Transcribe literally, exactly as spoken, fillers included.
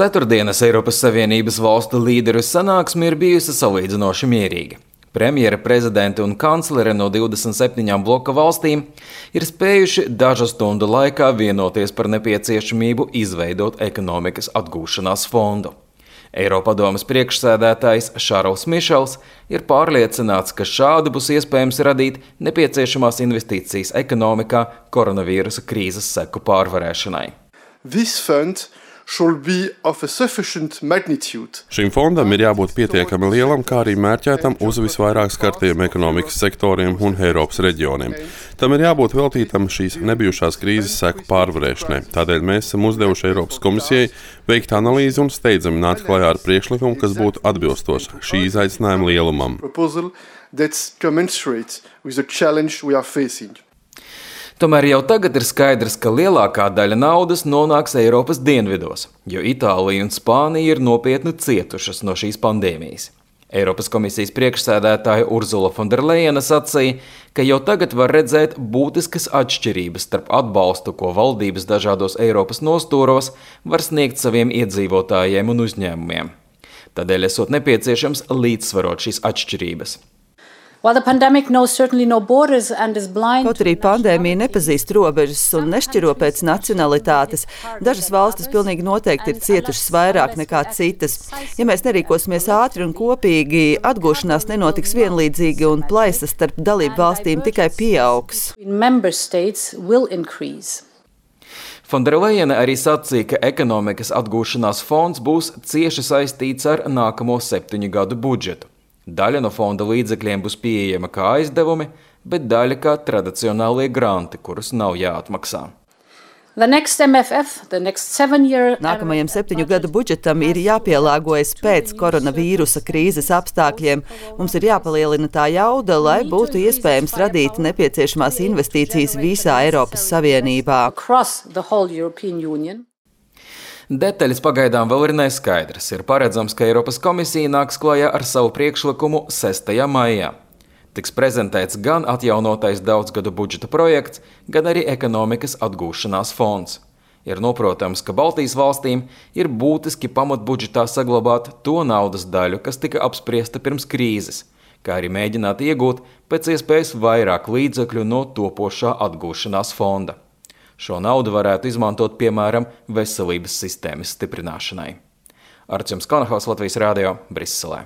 Ceturtdienas Eiropas Savienības valstu līderu sanāksme ir bijusi salīdzinoši mierīga. Premjera, prezidenti un kanclere no divdesmit septiņām bloka valstīm ir spējuši dažu stundu laikā vienoties par nepieciešamību izveidot ekonomikas atgūšanās fondu. Eiropadomes priekšsēdētājs Šarls Mišels ir pārliecināts, ka šādi būs iespējams radīt nepieciešamās investīcijas ekonomikā koronavīrusa krīzes seku pārvarēšanai. This fund should be of a sufficient magnitude. Šim fondam ir jābūt pietiekami lielam, kā arī mērķētam uz visvairāk skartiem ekonomikas sektoriem un Eiropas reģioniem. Tam ir jābūt veltītam šīs nebijušās krīzes seku pārvarēšanai. Tādēļ mēs esam uzdevuši Eiropas komisijai veikt analīzi un steidzami nākt klajā ar priekšlikumu, kas būtu atbilstošs šī izaicinājuma lielumam. Proposal that's commensurate with the challenge we are facing. Tomēr jau tagad ir skaidrs, ka lielākā daļa naudas nonāks Eiropas dienvidos, jo Itālija un Spānija ir nopietni cietušas no šīs pandēmijas. Eiropas komisijas priekšsēdētāja Urzula Fonderlejena sacīja, ka jau tagad var redzēt būtiskas atšķirības starp atbalstu, ko valdības dažādos Eiropas nostūros var sniegt saviem iedzīvotājiem un uzņēmumiem. Tādēļ esot nepieciešams līdzsvarot šīs atšķirības. No Kaut arī pandēmija nepazīst robežas un nešķiro pēc nacionalitātes, dažas valstis pilnīgi noteikti ir cietušas vairāk nekā citas. Ja mēs nerīkosimies ātri un kopīgi, atgūšanās nenotiks vienlīdzīgi un plaisas starp dalību valstīm tikai pieaugs. Fonderlejena arī sacīja, ka ekonomikas atgūšanās fonds būs cieši saistīts ar nākamo septiņu gadu budžetu. Daļa no fonda līdzekļiem būs pieejama kā aizdevumi, bet daļa kā tradicionālie granti, kurus nav jāatmaksā. Nākamajam septiņu gadu budžetam ir jāpielāgojas pēc koronavīrusa krīzes apstākļiem. Mums ir jāpalielina tā jauda, lai būtu iespējams radīt nepieciešamās investīcijas visā Eiropas Savienībā. Detaļas pagaidām vēl ir neskaidras. Ir paredzams, ka Eiropas komisija nāks klajā ar savu priekšlikumu sestajā maijā. Tiks prezentēts gan atjaunotais daudzgadu budžeta projekts, gan arī ekonomikas atgūšanās fonds. Ir noprotams, ka Baltijas valstīm ir būtiski pamatbudžetā saglabāt to naudas daļu, kas tika apspriesta pirms krīzes, kā arī mēģināt iegūt pēc iespējas vairāk līdzekļu no topošā atgūšanās fonda. Šo naudu varētu izmantot, piemēram, veselības sistēmas stiprināšanai. Artjums Konohaus, Latvijas radio, Briselē.